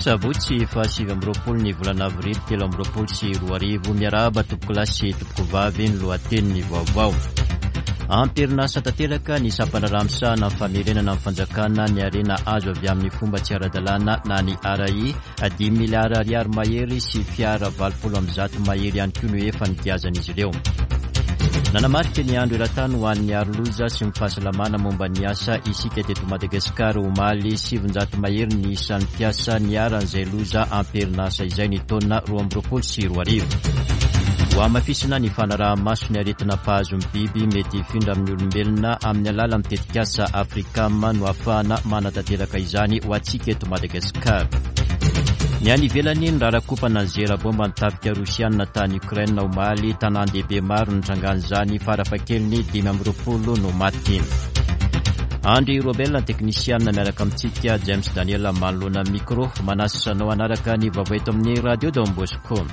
Sabotsy faha 29 ny volana avrily 2023. Miarahaba tompokolahy sy tompokovavy ny lohatenin'ny vaovao. Amperinasa tanteraka ny sampandraharaha misahana ny famerenana ny fanjakana ny harena azo avy amin'ny fomba tsy ara-dalàna na ny RAI. Dimy miliara ariary mahery sy fiara 180 mahery ihany koa no efa nigiazan'izy ireo. Nanamarika ny andro eran-tany ho an'ny aroloza sy ny fahasalamana momba ny asa isika teto Madagasikara omaly. 900 mahery ny isan'ny mpiasa niharan'izay loza am-perinasa izay ny taona 2022. Hohamafisina ny fanaraha-maso ny aretina mpahazo ny biby mety hifindra amin'ny olombelona amin'ny alalan'ny tetikasa Africam no ahafahana manatanteraka izany ho antsika eto Madagasikara. Ny any ivelany, nirarakompana ny zera bomba ny tafika rosiana tany Ukraine omaly, tanàn-dehibe maro nitrangan'izany, farafahakeliny 25 no maty. Andry Robel, teknisianina miaraka amintsika, James Daniel manoloana ny micro, manasa anao hanaraka ny vaovao eto amin'ny Radio Don Bosco.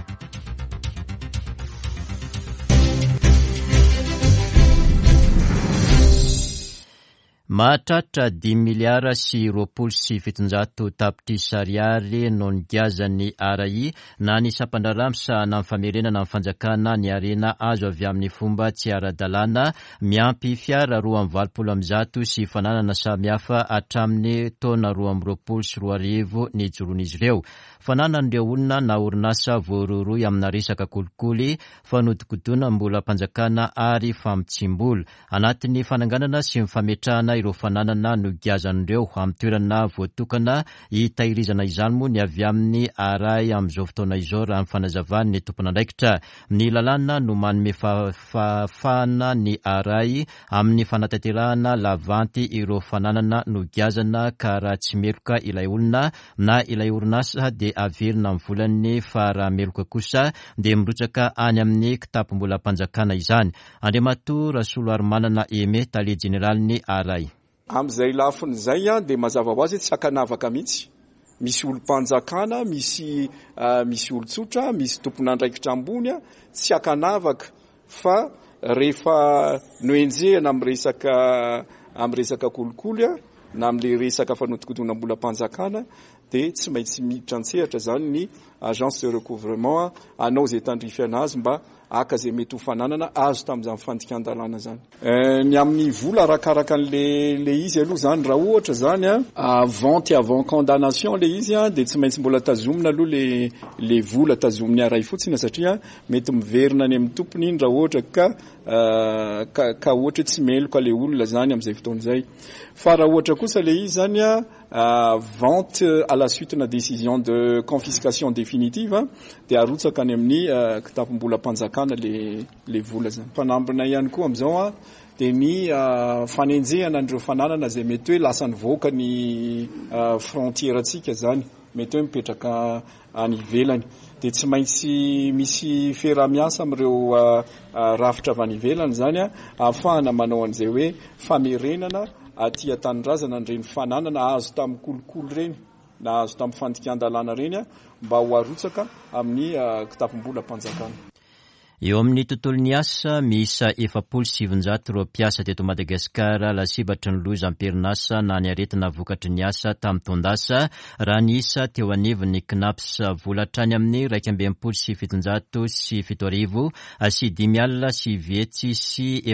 Mahatratra dimy miliara sy 720 tapitrisa ariary no nigiazan'ny RAI na ny sampandraharaha misahana ny famerenana ny fanjakana ny harena azo avy amin'ny fomba tsy ara-dalàna, miampy fiara 182 sy fananana samihafa hatramin'ny taona 2022 nijoroan'izy ireo. Fananan'ireo olona na orinasa voarohirohy amina resaka kolikoly, fanodikodinam-bolam-panjakana ary famotsiam-bola. Anatin'ny fananganana sy ny fametrahana ireo fananana nogiazan'ireo amin'ny toerana voatokana hitahirizana izany moa ny avy amin'ny ARAI amin'izao fotoana izao raha ny fanazavan'ny tompon'andraikitra. Ny lalàna no manome fahafahana ny ARAI amin'ny fanatanterahana lavanty ireo fananana nogiazana ka raha tsy meloka ilay olona na ilay orinasa dia averina amin'ny volany fa raha meloka kosa dia mirotsaka any amin'ny kitapom-bolam-panjakana izany. Andriamatoa Rasoloarimanana Aimé, Tale Jeneralin'ny ARAI. Amin'izay lafiny izay dia mazava ho azy hoe tsy ankanavaka mihitsy. Misy olom-panjakana, misy misy olon-tsotra, misy tompon'andraikitra ambony, tsy ankanavaka fa rehefa nohenjehina amin'ny resaka amin'ny resaka kolikoly na amin'ilay resaka fanodikodinam-bolam-panjakana dia tsy maintsy miditra an-tsehatra izany ny agence de recouvrement hanao izay tandrify anazy mba haka izay mety ho fananana azo tamin'izany fandikan-dalàna izany. Ny amin'ny vola arakaraka an'le le izy aloha izany, raha ohatra izany vente avant condamnation le izy dia tsy maintsy mbola tazomina aloha le le vola tazomin'ny aray fotsiny satria mety miverina any amin'ny tompony iny raha ohatra ka ka ka ohatra hoe tsy meloka le olona izany amin'izay fotoana izay. Fa raha ohatra kosa le izy izany vente à la suite na décision de confiscation définitive dia arotsaka any amin'ny kitapom-bolam-panjakana le le vola zany. Fanambina ihany koa amin'izao dia ny fanenjehana an'ireo fananana izay mety hoe lasa nivoaka ny frontière-ntsika zany, mety hoe mipetraka any ivelany. Dia tsy maintsy misy fiaraha-miasa amin'ireo rafitra avy any ivelany izany ahafahana manao an'izay hoe famerenana aty an-tanindrazana an'ireny fananana azo tamin'ny kolikoly ireny na azo tamin'ny fandikan-dalàna ireny mba ho arotsaka amin'ny kitapom-bolam-panjakana. Eo amin'ny tontolon'ny asa, miisa 940 ireo mpiasa teto Madagasikara lasibatry ny loza am-perinasa na ny aretina vokatry ny asa tamin'ny taon-dasa, raha ny isa teo anivon'ny Cnaps. Vola hatrany amin'ny 761 sy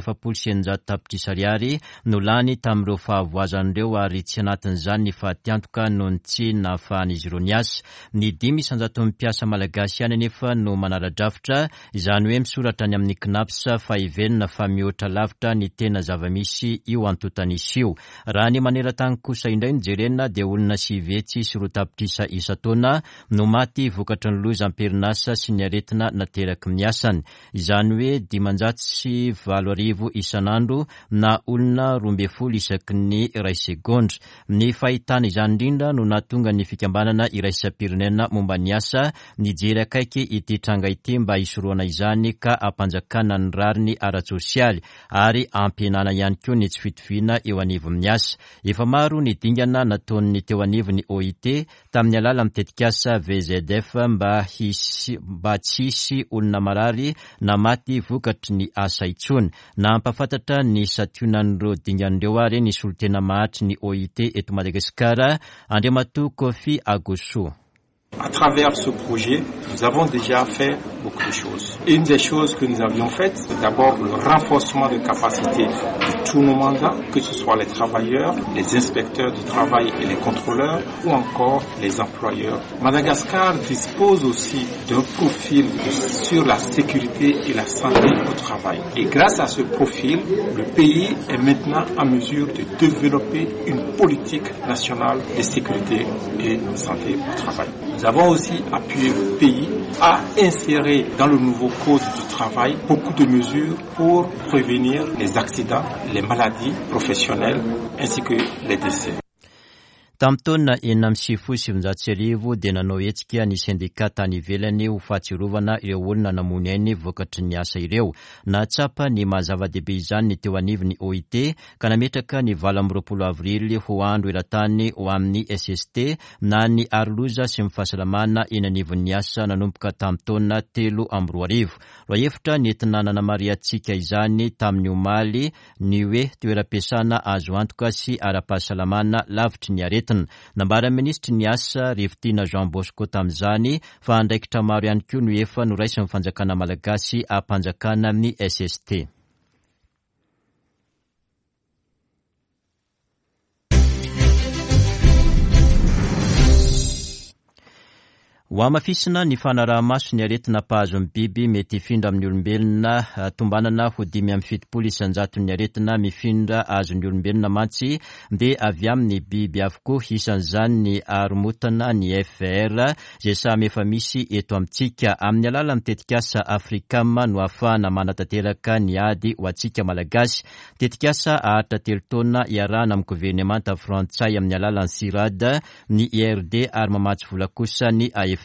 640 tapitrisa ariary no lany tamin'ireo fahavoazana ireo ary tsy anatin'izany ny fatiantoka noho ny tsy nahafahan'izy ireo niasa. Ny dimy isanjaton'ny mpiasa malagasy ihany anefa no manara-drafitra, izany hoe misoratra any amin'ny Cnaps fa heverina fa mihoatra lavitra ny tena zava-misy io antontan'isa io. Raha ny maneran-tany kosa indray no jerena dia olona 209 tapitrisa isan-taona no maty vokatry ny loza am-perinasa sy ny aretina nateraky ny asany. Izany hoe 805 isan'andro na olona 12 isaky ny iray segondra. Ny fahitana izany indrindra no nahatonga ny fikambanana iraisam-pirenena momba ny asa nijery akaiky ity tranga ity mba hisorohana izany ka hampanjakana ny rariny ara-tsosialy ary hampihenana ihany koa ny tsy fitoviana eo anivon'ny asa. Efa maro ny dingana nataon'ny teo anivon'ny OIT tamin'ny alalan'ny tetikasa VZF mba hisy mba tsy hisy olona marary na maty vokatry ny asa intsony. Nampahafantatra ny santionan'ireo dingana ireo ary ny solontena mahatry ny OIT eto Madagasikara, Andriamatoa Koffi Agossou. À travers ce projet, nous avons déjà fait beaucoup de choses. Une des choses que nous avions faites, c'est d'abord le renforcement de capacité de tous nos mandats, que ce soit les travailleurs, les inspecteurs du travail et les contrôleurs, ou encore les employeurs. Madagascar dispose aussi d'un profil sur la sécurité et la santé au travail. Et grâce à ce profil, le pays est maintenant en mesure de développer une politique nationale de sécurité et santé au travail. Nous avons aussi appuyé le pays à insérer dans le nouveau code du travail beaucoup de mesures pour prévenir les accidents, les maladies professionnelles ainsi que les décès. Tamin'ny taona 1996 dia nanao hetsika ny sendika tany ivelany ho fahatsiarovana ireo olona namoy ny ainy vokatry ny asa ireo. Nahatsapa ny maha zava-dehibe izany ny teo anivon'ny OIT ka nametraka ny 28 avrily ho andro eran-tany ho amin'ny SST na ny aroloza sy ny fahasalamana eny anivon'ny asa nanomboka tamin'ny taona 2003. Lohahevitra nentina nanamarihantsika izany tamin'ny omaly ny hoe toeram-piasana azo antoka sy ara-pahasalamana lavitry ny aretina. Nambaran'ny minisitry ny Asa, Rivotiana Jean Bosco tamin'izany fa andraikitra maro ihany koa no efa noraisin'ny fanjakana malagasy hampanjakana ny SST. Hohamafisina ny fanaraha-maso ny aretina mpahazo ny biby mety hifindra amin'ny olombelona. Tombanana ho 75 isan-jaton'ny aretina mifindra azon'ny olombelona mantsy dia avy amin'ny biby avokoa, isan'izany ny haromotana, ny FVR, izay samy efa misy eto amintsika. Amin'ny alalan'ny tetikasa Africam no ahafahana manatanteraka ny ady ho antsika Malagasy. Tetikasa haharitra telo taona iarahana amin'ny governemanta frantsay amin'ny alalan'ny Cirad, ny IRD ary mamatsy vola kosa ny AFD.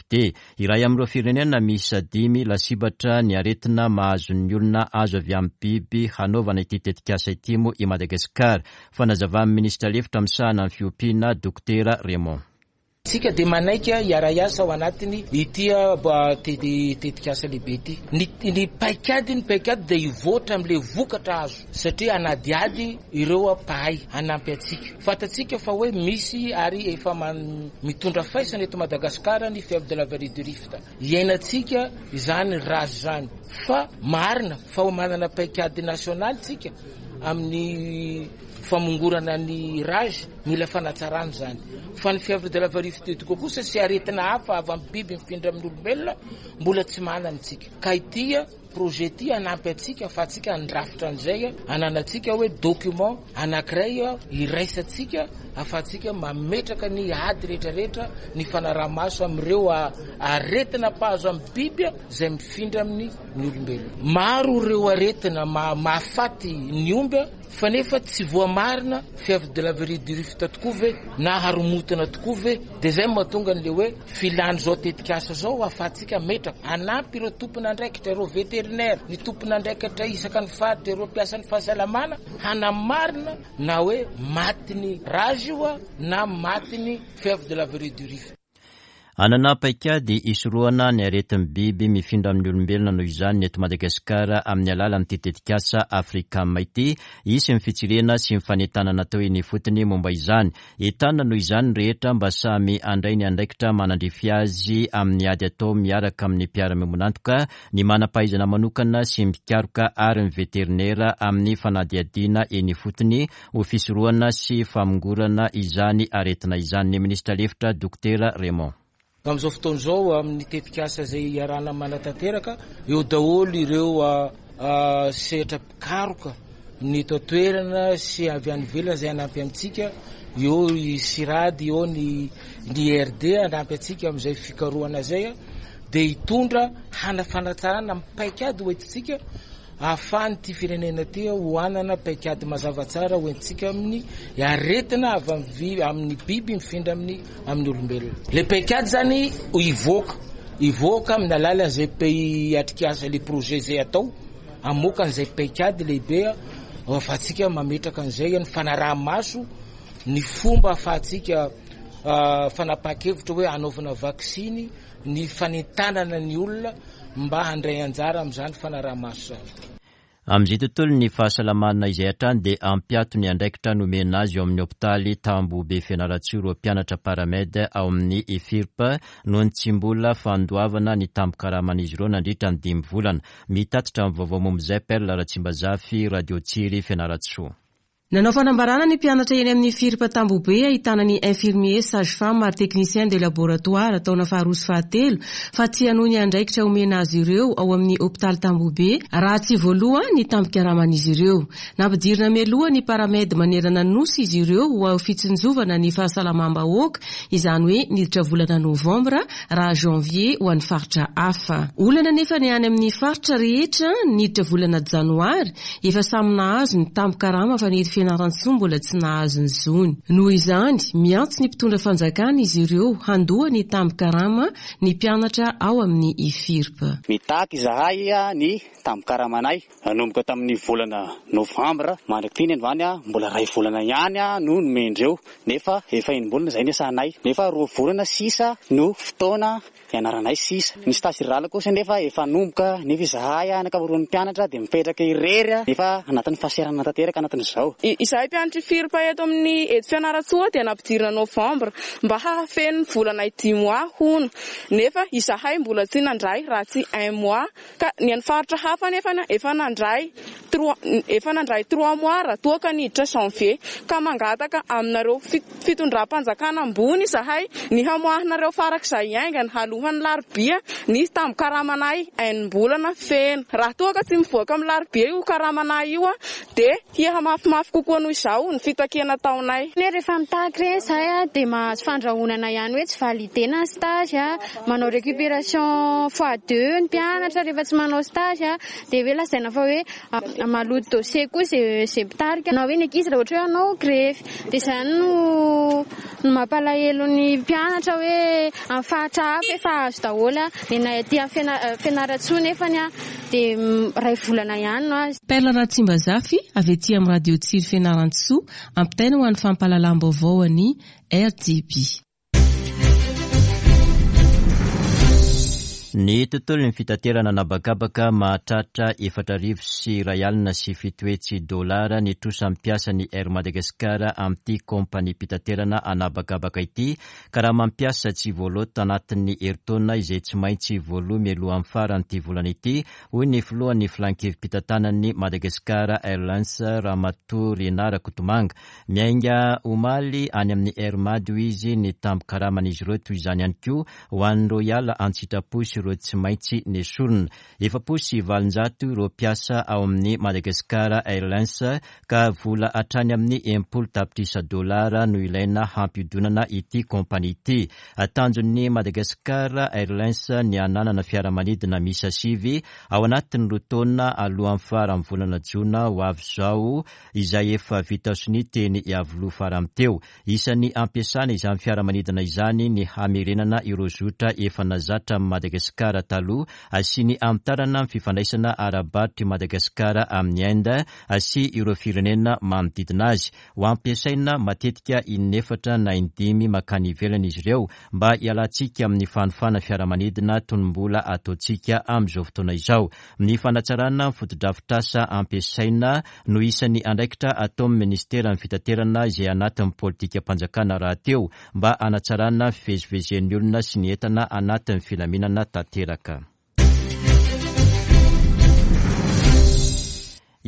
Iray amin'ireo firenena miisa dimy lasibatra ny aretina mahazo ny olona azo avy amin'ny biby hanaovana ity tetikasa ity moa i Madagasikara. Fanazavan'ny minisitra lefitra misahana ny fiompiana, Dokotera Raymond. Isika dia manaiky hiara-hiasa ao anatiny ity tetikasa lehibe ity. Ny paikady ny paikady dia hivoatra amin'ilay vokatra azo satria hanadihady ireo mpahay hanampy antsika. Fantatsika fa hoe misy ary efa mitondra faisana eto Madagasikara ny fièvre de la vallée du Rift. Iainantsika izany rage izany fa marina fa manana paikady nasionaly tsika amin'ny famongorana ny rage, mila fanatsarana izany. Fa ny fièvre de la vallée du Rift kosa sy aretina hafa avy amin'ny biby mifindra amin'ny olombelona mbola tsy manana tsika. Ka ity Projet ity hanampy antsika afahantsika handrafitra an'izay ananantsika hoe document anankiray iraisantsika afahantsika mametraka ny ady rehetra rehetra ny fanaraha-maso amin'ireo aretina mpahazo amin'ny biby izay mifindra amin'ny ny olombelona. Maro ireo aretina mahafaty ny omby Fa nefa tsy voamarina fièvre de la vallée du Rift tokoa ve na haromotana tokoa ve? Dia izay no mahatonga an'ilay hoe filan'izao tetikasa izao ahafahantsika hametraka, hanampy ireo tompon'andraikitra, ireo vétérinaire, ny tompon'andraikitra isaka ny faritra, ireo mpiasan'ny fahasalamana hanamarina na hoe matin'ny rage io na matin'ny fièvre de la vallée du Rift. Hanana paikady hisorohana ny aretin'ny biby mifindra amin'ny olombelona noho izany ny eto Madagasikara amin'ny alalan'ity tetikasa Africam ity. Hisy ny fitsirihana sy ny fanentanana atao eny ifotony momba izany. Entanina noho izany ny rehetra mba samy handray ny andraikitra manandrify azy amin'ny ady atao miaraka amin'ny mpiara-miombon'antoka, ny manam-pahaizana manokana sy ny mpikaroka ary ny veterinera amin'ny fanadihadiana eny ifotony ho fisorohana sy famongorana izany aretina izany ny minisitra lefitra Dokotera Raymond. Amin'izao fotoana izao, amin'ny tetikasa izay iarahana manatanteraka, eo daholo ireo sehatra mpikaroka ny eto an-toerana sy avy any ivelany izay hanampy antsika, eo i Cirad, eo ny IRD hanampy antsika amin'izay fikarohana izay, dia hitondra hana fanatsarana amin'ny paikady hoentintsika Ahafahan'ity firenena ity ho hanana paikady mazava tsara ho entintsika amin'ny aretina avy amin'ny biby mifindra amin'ny amin'ny olombelona. Ilay paikady izany hivoaka, hivoaka amin'ny alalan'izay pays atrikasa ilay projet izay atao, hamoaka an'izay paikady lehibe ahafahantsika mametraka an'izay ny fanaraha-maso ny fomba ahafahantsika fanapahan-kevitra hoe hanaovana vaksiny ny fanentanana ny olona mba handray anjara amin'izany fanaraha-maso izany. Amin'izay tontolon'ny fahasalamana izay hatrany dia hampiato ny andraikitra nomena azy eo amin'ny hopitaly Tambohobe Fianarantsoa ireo mpianatra Paramed ao amin'ny IFIRP noho ny tsy mbola fandoavana ny tambin-karaman'izy ireo nandritra ny dimy volana. Mitatitra ny vaovao momba izay Perle Ratsimbazafy, Radio Tsiry, Fianarantsoa. Nanao fanambarana ny mpianatra eny amin'ny FIRP Tambohobe ahitana ny infirmier, sage femme ary technicien de laboratoire taona faharoa sy fahatelo fa tsy hanohy ny andraikitra omena azy ireo ao amin'ny hopitaly Tambohobe raha tsy voaloa ny tambin-karaman'izy ireo. Nampidirina mialoha ny Paramed manerana ny Nosy izy ireo ho fitsinjovana ny fahasalamam-bahoaka, izany hoe niditra volana novambra raha janvier ho an'ny faritra hafa. Olana anefa ny any amin'ny faritra rehetra niditra volana janoary Efa samy nahazo ny tambin-karama fa ny eto Fianarantsoa mbola tsy nahazo ny zony. Noho izany, miantso ny mpitondra fanjakana izy ireo handoa ny tambin-karama ny mpianatra ao amin'ny IFIRP. Mitaky izahay ny tambin-karamanay nanomboka tamin'ny volana novambra mandrak'ity androany mbola iray volana ihany no nomendreo nefa efa enim-bolana izay niasanay nefa roa volana sisa no fotoana Ianaranay sisa. Ny stage rural kosa nefa efa hanomboka nefa izahay ny ankamaroan'ny mpianatra dia mipetraka irery nefa anatin'ny fahasahiranana tanteraka anatin'izao. Izahay mpianatr'i FIRP eto amin'ny eto Fianarantsoa dia nampidirina novembre mba hahafeno ny volanay dix mois hono nefa izahay mbola tsy nandray raha tsy un mois ka ny an'ny faritra hafa nefa efa nandray trois efa nandray trois mois raha toa ka niditra janvier ka mangataka aminareo fitondram-panjakana ambony izahay ny hamoahanareo farak'izay haingana alohan'ny larobia ny tambin-karamanay enim-bolana feno. Raha toa ka tsy mivoaka amin'ny larobia io karamanay io dia hiha-mafimafy kokoa noho izao ny fitakiana ataonay. Hoe rehefa mitaky ireny izahay dia mahazo fandrahonana ihany hoe tsy validena ny stage, manao récupération fois deux ny mpianatra rehefa tsy manao stage dia hoe lazaina fa hoe maloto dossier koa izay mpitarika na hoe ny ankizy raha ohatra hoe hanao grevy. Dia izany no mampalahelo ny mpianatra hoe amin'ny faritra hafa efa azo daholo, ny anay aty Fianarantsoa nefany dia iray volana ihany no azo. Perle Ratsimbazafy avy aty amin'ny Radio Tsiry Fianarantsoa, ampitaina ho an'ny fampahalalam-baovao an'i RDB. Ny tontolon'ny fitaterana an'habakabaka mahatratra 740 07 dolara ny trosa mpiasa ny Air Madagascar amin'ity kaompaniam-pitaterana an'habakabaka ity ka raha mampiasa tsy voaloa tanatin'ny herintaona izay tsy maintsy voaloa mialohan'ny faran'ity volana ity hoy ny filohan'ny filankevi-pitantanan'ny Madagascar Airlines Ramatoa Rinah Rakotomanga. Miainga omaly any amin'ny Air Mad hoy izy ny tambin-karaman'izy ireo toy izany ihany koa ho an'ireo hiala an-tsitrapo sy ireo tsy maintsy nesorina. 840 ireo mpiasa ao amin'ny Madagascar Airlines ka vola hatrany amin'ny 60 tapitrisa dolara no ilaina hampiodonana ity kaompania ity. Tanjon'ny Madagascar Airlines ny hananana fiaramanidina miisa sivy ao anatin'ny roa taona alohan'ny faran'ny volana jona ho avy izao izay efa vita sonia teny Iavoloha farany teo. Isan'ny ampiasana izany fiaramanidina izany ny hamerenana ireo zotra efa nazatra amin'i Madagasikara taloha sy ny hamitarana ny fifandraisana ara-barotr'i Madagasikara amin'i Inde sy ireo firenena manodidina azy. Ho ampiasaina matetika in'efatra na indimy mankany ivelany izy ireo mba hialantsika amin'ny fanofana fiaramanidina toy ny mbola ataontsika amin'izao fotoana izao. Ny fanatsarana ny fotodrafitrasa ampiasaina no isan'ny andraikitra ataon'ny minisiteran'ny fitaterana izay anatin'ny politikam-panjakana rahateo mba hanatsarana ny fivezivezen'ny olona sy ny entana anatin'ny filaminana tanteraka.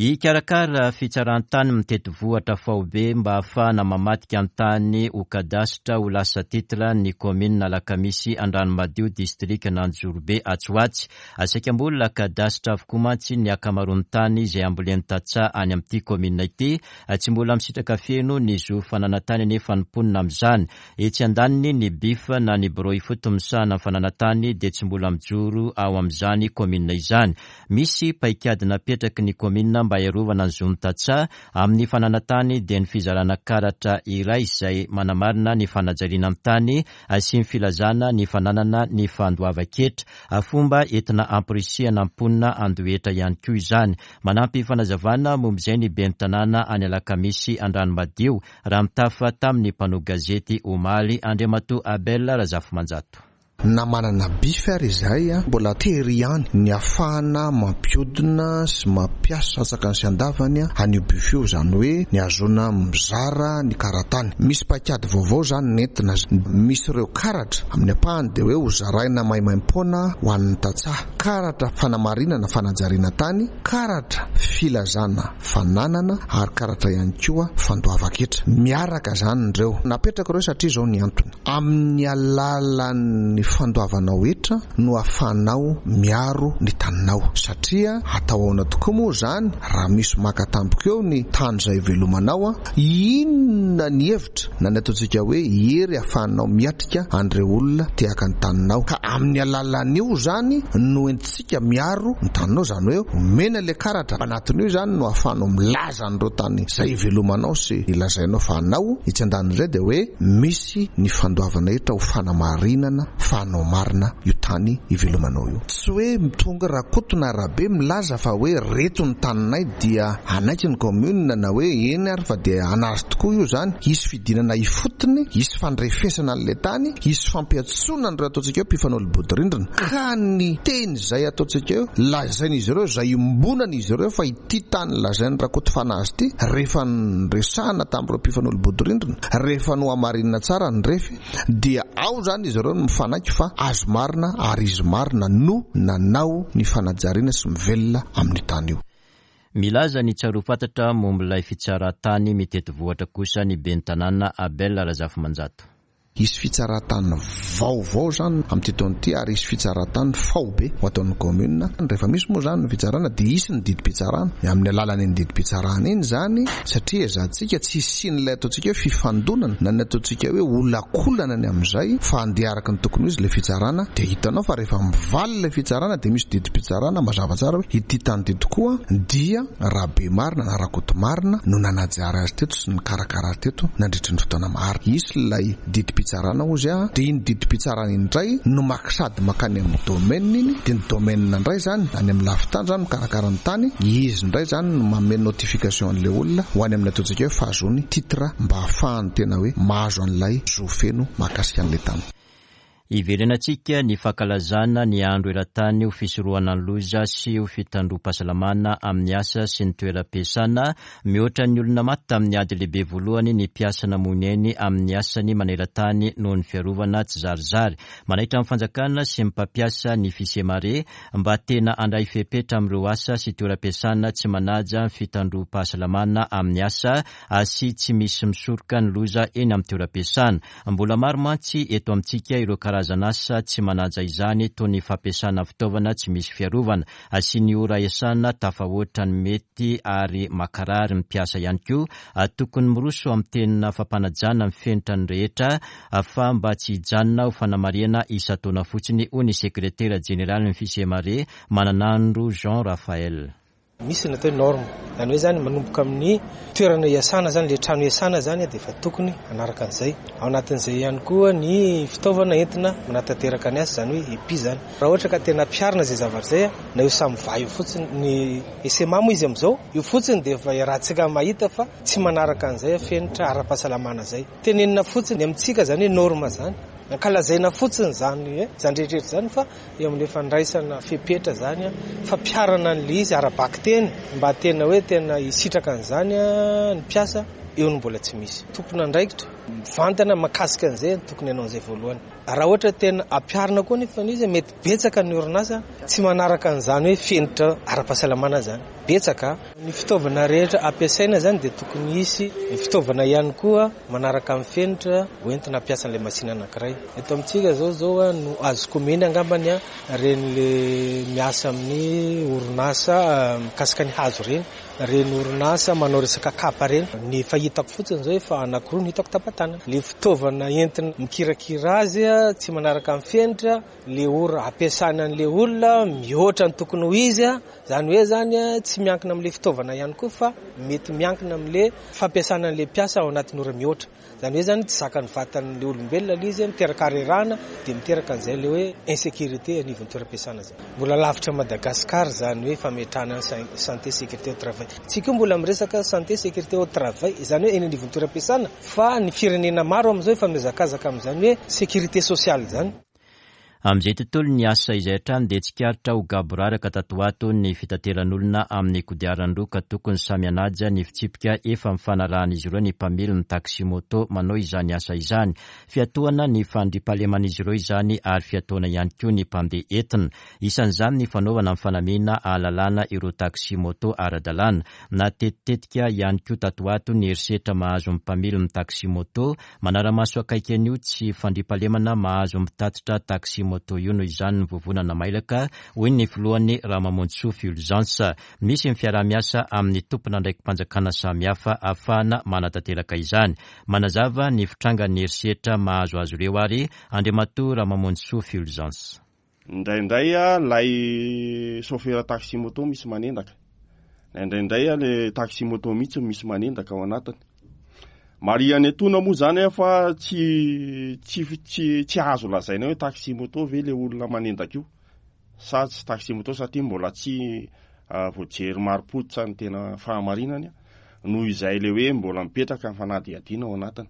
Hikarakara fitsaran-tany mitety vohitra faobe mba hahafahana mamadika ny tany ho kadasitra ho lasa titre ny kaominina Alakamisy Andranomadio distrikan'Anjozorobe atsy ho atsy. Saika mbola kadasitra avokoa mantsy ny ankamaroan'ny tany izay ambolen'ny tantsaha any amin'ity kaominina ity. Tsy mbola misitraka feno ny zo fananan-tany anefa ny mponina amin'izany. Etsy andaniny, ny BIF na ny Birao ifotony misahana ny fananan-tany dia tsy mbola mijoro ao amin'izany kaominina izany. Misy paikady napetraky ny kaominina mba hiarovana ny zon'ny tantsaha amin'ny fananan-tany dia ny fizarana karatra iray izay manamarina ny fanajariana ny tany sy ny filazana ny fananana ny fandoavan-ketra. Fomba entina hamporisihana ny mponina handoa hetra ihany koa izany. Manampy fanazavana momba izay ny ben'ny tanàna any Alakamisy Andranomadio raha nitafa tamin'ny mpanao gazety omaly Andriamatoa Abel Razafimanjato. Na manana bif ary izahay, mbola tery ihany ny ahafahana mampiodina sy mampiasa antsakany sy andavany an'io bif io, izany hoe ny ahazoana mizara ny karatany. Misy paikady vaovao izany nentina, misy ireo karatra amin'ny ampahany dia hoe hozaraina maimaimpoana ho an'ny tantsaha, karatra fanamarinana fanajariana tany, karatra filazana fananana ary karatra ihany koa fandoavan-ketra. Miaraka izany ireo. Napetraka ireo satria izao ny antony. Amin'ny alalan'ny fandoavanao hetra no ahafahanao miaro ny taninao. Satria atao ahoana tokoa moa izany raha misy maka tampoka eo ny tany izay ivelomanao? Inona ny hevitra na ny ataontsika hoe hery ahafahanao miatrika an'ireo olona te haka ny taninao? Ka amin'ny alalan'io izany no entintsika miaro ny taninao, izany hoe omena ilay karatra, anatin'io izany no ahafahanao milaza an'ireo tany izay ivelomanao sy lazainao fa anao. Etsy andanin'izay dia hoe misy ny fandoavana hetra ho fanamarinana fa anao marina io tany ivelomanao io. Tsy hoe tonga Rakoto na Rabe milaza fa hoe reto ny taninay dia hanaiky ny commune na hoe eny ary fa dia hanazy tokoa io izany. Hisy fidinana ifotony, hisy fandrefesana an'ilay tany, hisy fampiantsoana an'ireo ataontsika hoe mpifanolo-bodirindrina. Ka ny teny izay ataontsika hoe lazain'izy ireo, izay iombonan'izy ireo fa ity tany lazain'i Rakoto fa anazy ity, rehefa niresahana tamin'ireo mpifanolo-bodirindrina, rehefa nohamarinina tsara ny refy, dia ao izany izy ireo no mifanaiky fa azy marina ary izy marina no nanao ny fanajariana sy mivelona amin'io tany io. Milaza ny tsaroa fantatra momba ilay fitsaran-tany mitety vohitra kosa ny ben'ny tanàna Abel Razafimanjato. Hisy fitsaran-tany vaovao izany amin'ity taona ity ary hisy fitsaran-tany faobe ho ataon'ny kaominina. Rehefa misy moa izany ny fitsarana dia hisy ny didim-pitsarana. Amin'ny alalan'iny didim-pitsarana iny izany, satria ezahantsika tsy hisian'ilay ataontsika hoe fifandonana na ny ataontsika hoe olakolana ny amin'izay fa handeha araka ny tokony ho izy ilay fitsarana dia hitanao fa rehefa mivaly ilay fitsarana dia misy didim-pitsarana mazava tsara hoe ity tany ity tokoa dia Rabemarina na Rakotomarina no nanajary azy teto sy nikarakara azy teto nandritry ny fotoana maro. Hisy ilay didim-pitsarana hozy aho, dia iny didim-pitsarana iny indray no maka sady mankany amin'ny domaine iny, dia ny domaine indray izany any amin'ny lafin-tany izany mikarakara ny tany, izy indray izany no manome notification an'ilay olona ho any amin'ny ataontsika hoe fahazoany titre mba hahafahany tena hoe mahazo an'ilay zo feno mahakasika an'ilay tany. Hiverenantsika ny fankalazana ny andro eran-tany ho fisorohana ny loza sy ho fitandroam-pahasalamana amin'ny asa sy ny toeram-piasana. Mihoatra ny olona maty tamin'ny ady lehibe voalohany ny mpiasa namoy ny ainy amin'ny asany maneran-tany noho ny fiarovana tsizarizary. Manaitra ny fanjakana sy ny mpampiasa ny Fisemare mba tena handray fepetra amin'ireo asa sy toeram-piasana tsy manaja ny fitandroam-pahasalamana amin'ny asa sy tsy misy misoroka ny loza eny amin'ny toeram-piasana. Mbola maro mantsy eto amintsika ireo karazan'asa tsy manaja izany toy ny fampiasana fitaovana tsy misy fiarovana, sy ny ora iasana tafahoatra ny mety ary makarary ny mpiasa ihany koa. Tokony miroso amin'ny tena fampanajana ny fenitra ny rehetra fa mba tsy hijanona ho fanamarihana isan-taona fotsiny, hoy ny sekretera jeneralin'ny Fisemare, Mananandro Jean Raphaël. Misy ny atao hoe norme, izany hoe izany manomboka amin'ny toerana iasana izany, ilay trano iasana izany dia efa tokony hanaraka an'izay. Ao anatin'izay ihany koa ny fitaovana entina manatanteraka ny asa, izany hoe EPI izany. Raha ohatra ka tena ampiharina izay zavatra izay, na io SAMVA io fotsiny, ny SMA moa izy amin'izao, io fotsiny dia efa iarahantsika mahita fa tsy manaraka an'izay fenitra ara-pahasalamana izay. Tenenina fotsiny amintsika izany hoe norme izany, ankalazaina fotsiny izany izany rehetra rehetra izany fa eo amin'ilay fandraisana fepetra izany, fampiharana an'ilay izy ara-bakiteny mba tena hoe tena hisitraka an'izany ny mpiasa, eo no mbola tsy misy. Tompon'andraikitra mivantana mahakasika an'izay no tokony hanao an'izay voalohany. Raha ohatra tena ampiharina koa anefa ilay izy, mety betsaka ny orinasa tsy manaraka an'izany hoe fenitra ara-pahasalamana izany. Betsaka. Ny fitaovana rehetra ampiasaina izany dia tokony hisy fitaovana ihany koa manaraka ny fenitra hoentina hampiasa an'ilay machine anankiray. Eto amintsika izao izao no azoko omena angambany ireny le miasa amin'ny orinasa mikasika ny hazo ireny, ireny orinasa manao resaka kapa ireny. Ny efa hitako fotsiny izao efa anankiroa no hitako tapa-tanana. Le fitaovana entina mikirakira azy tsy manaraka ny fenitra, le ora ampiasana an'le olona mihoatra ny tokony ho izy, izany hoe izany tsy miankina amin'le fitaovana ihany koa fa mety miankina amin'le fampiasana an'le mpiasa ao anatin'ny ora mihoatra. Izany hoe izany tsy zakan'ny vatan'le olombelona ilay izy, miteraka harerahana dia miteraka an'izay ilay hoe insécurité anivon'ny toeram-piasana izay. Mbola lavitra Madagascar izany hoe fametrahana ny santé sécurité au travail. Tsika io mbola miresaka santé sécurité au travail, izany hoe eny anivon'ny toeram-piasana fa ny firenena maro amin'izao efa mihazakazaka amin'izany hoe sécurité sociale izany. Amin'izay tontolon'ny asa izay hatrany dia tsikaritra ho gaboraraka tato ho ato ny fitateran'olona amin'ny kodiaran-droa ka tokony samy hanaja ny fitsipika efa nifanarahan'izy ireo ny mpamily ny taxi-moto manao izany asa izany. Fiatohana ny fandriampahaleman'izy ireo izany ary fiatohana ihany koa ny mpandeha entina. Isan'izany ny fanaovana ny fanamiana ahalalana ireo taxi-moto ara-dalàna. Natetitetika ihany koa tato ho ato ny herisetra mahazo ny mpamily ny taxi-moto Manara-maso akaiky an'io tsy fandriampahalemana mahazo mpitatitra taxi-moto io noho izany ny vovonana mailaka, hoy ny filohany Ramamonjisoa Fulgence. Misy ny fiaraha-miasa amin'ny tompon'andraiki-panjakana samihafa ahafahana manatanteraka izany. Manazava ny fitrangan'ny herisetra mahazo azy ireo ary Andriamatoa Ramamonjisoa Fulgence. Indraindray ilay chauffeur taxi moto misy manendaka. Indraindray ilay taxi moto mihitsy no misy manendaka ao anatiny. Marihana etoana moa izany fa tsy tsy tsy tsy azo lazaina hoe taxi moto ve ilay olona manendaka io sa tsy taxi moto satria mbola tsy voajery marim-pototra ny tena fahamarinany noho izay ilay hoe mbola mipetraka ny fanadihadiana ao anatiny.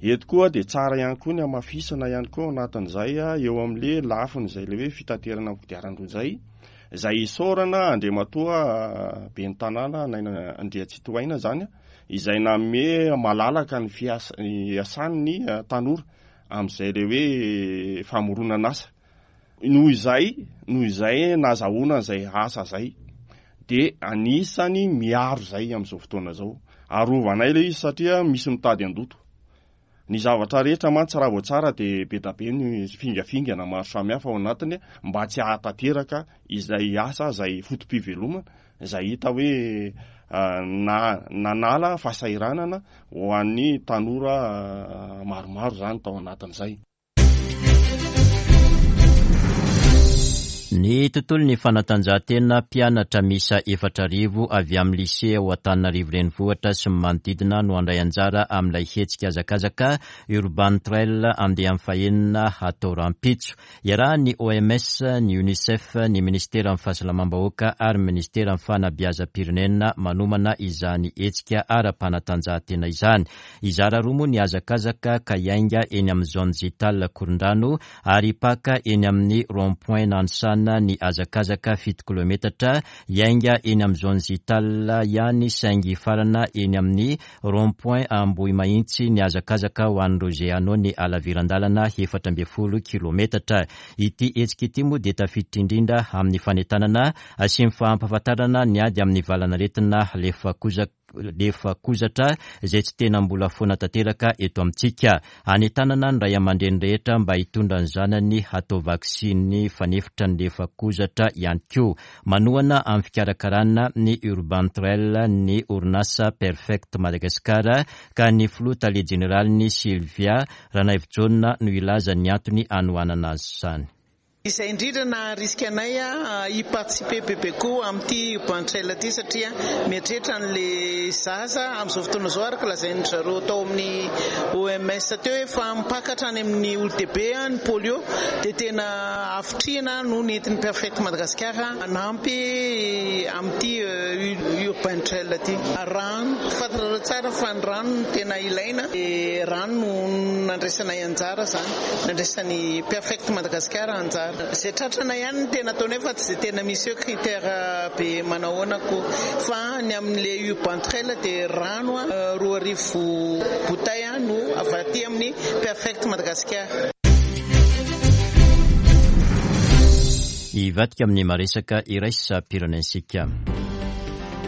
Eto koa dia tsara ihany koa ny hamafisana ihany koa ao anatin'izay eo amin'le lafiny izay le hoe fitaterana amin'ny kodiaran-droa izay, izay isaorana Andriamatoa Ben'ny Tanàna Naina Andriantsitohaina izany, izay nanome malalaka ny fiasa- iasan'ny tanora amin'izay le hoe famoronan'asa. Noho izay, noho izay nazahoana izay asa izay, dia anisany miaro izay amin'izao fotoana izao. Arovanay ilay izy satria misy mitady handoto. Ny zavatra rehetra mantsy raha vao tsara dia be da be ny fingafingana maro samihafa ao anatiny mba tsy hahatanteraka izay asa izay foto-pivelomana izay hita hoe na nanala fahasahiranana ho an'ny tanora maromaro izany tao anatin'izay. Ny tontolon'ny fanatanjahantena, mpianatra miisa 4000 avy amin'ny lycée ao Antananarivo Renivohitra sy ny manodidina no handray anjara amin'ilay hetsika hazakazaka Urban Trail andiany fahenina hatao rahampitso. Iarahan'ny OMS, ny Unicef, ny Minisiteran'ny Fahasalamam-bahoaka ary ny Minisiteran'ny Fanabeazam-pirenena manomana izany hetsika ara-panatanjahantena izany. Hizara roa moa ny hazakazaka ka hiainga eny amin'ny zone Zital Korondrano ary hipaka eny amin'ny rond point Nanisana ny hazakazaka 7 kilometatra, hiainga eny amin'ny zone Zital ihany saingy hifarana eny amin'ny rond point Ambohimahintsy ny hazakazaka ho an'ireo izay hanao ny halaviran-dalana 14 kilometatra. Ity hetsika ity moa dia tafiditra indrindra amin'ny fanentanana sy ny fampahafantarana ny ady amin'ny valanaretina lefakozaka. lefakozatra izay tsy tena mbola foana tanteraka eto amintsika. Anentanana ny ray aman-dreny rehetra mba hitondra ny zanany hatao vaksiny fanefitra ny lefakozatra ihany koa. Manohana amin'ny fikarakarana ny Urban Trail ny orinasa Perfect Madagascar ka ny filoha tale jeneraliny Sylvia Ranaivojaona no hilaza ny antony hanohanana azy izany. Izay indrindra naharisika anay hi-participer bebe koa amin'ity Urban Trail ity satria mieritreritra an'ilay zaza amin'izao fotoana izao araka lazain-dry zareo tao amin'ny OMS teo hoe efa mipaka hatrany amin'ny olon-dehibe ny polio dia tena havitrihana no nentin'ny Perfect Madagascar hanampy amin'ity Urban Trail ity. Rano, fantatrareo tsara fa ny rano no tena ilaina dia rano no nandraisanay anjara izany. Nandraisan'ny Perfect Madagascar anjara. Izay tratranay ihany no tena ataonay fa tsy dia tena misy hoe critère be manahoana akory. Fa ny amin'ilay Urban Trail dia rano 2000 bouteilles no avy aty amin'ny Perfect Madagascar. Hivadika amin'ny maresaka iraisam-pirenentsika.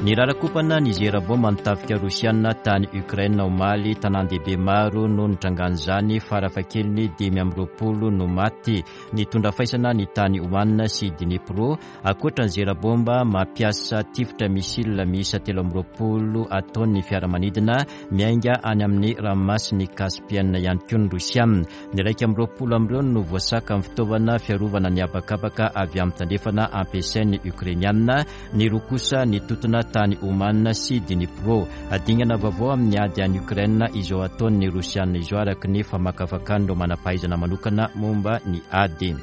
Nirarakompana ny zera-baomba ny tafika rosiana tany Ukraine omaly. Tanàn-dehibe maro no nitrangan'izany, farafahakeliny 25 no maty. Nitondra faisana ny tany Ouman sy Dnipro, ankoatra ny zera-baomba mampiasa tifitra missile miisa 23 ataon'ny fiaramanidina miainga any amin'ny ranomasin'i Caspienne ihany koa ny Rosiana. Ny 21 amin'ireo no voasakan'ny fitaovana fiarovana ny habakabaka avy amin'ny tandrefana ampiasain'ny Ukrainiana. Ny roa kosa nitontona tany Ouman sy Dnipro. Dingana vaovao amin'ny ady any Ukraine izao ataon'ny Rosiana izao araka ny famakafakan'ireo manam-pahaizana manokana momba ny ady.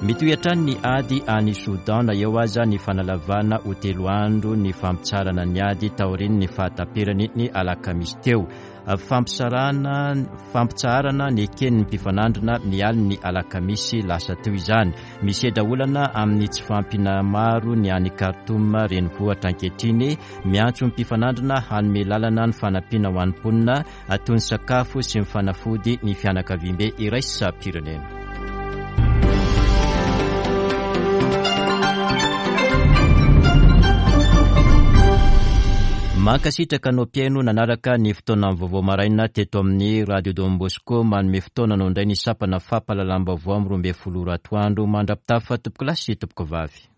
Mitohy hatrany ny ady any Soudan na eo aza ny fanalavana ho telo andro ny fampitsaharana ny ady taorian'ny fahataperany ny alakamisy teo. Fampisarahana, fampitsaharana neken'ny mpifanandrina ny alin'ny alakamisy lasa teo izany. Misedra olana amin'ny tsy fahampiana maro ny any Khartoum renivohitra ankehitriny. Miantso ny mpifanandrina hanome lalana ny fanampiana ho an'ny mponina toy ny sakafo sy ny fanafody ny fianakaviambe iraisam-pirenena. Mankasitraka anao mpihaino nanaraka ny fotoanan'ny vaovao maraina teto amin'ny Radio Don Bosco. Manome fotoana anao indray ny sampana fampahalalam-baovao amin'ny 12 ora atoandro. Mandra-pitafa tompokolahy sy tompokovavy.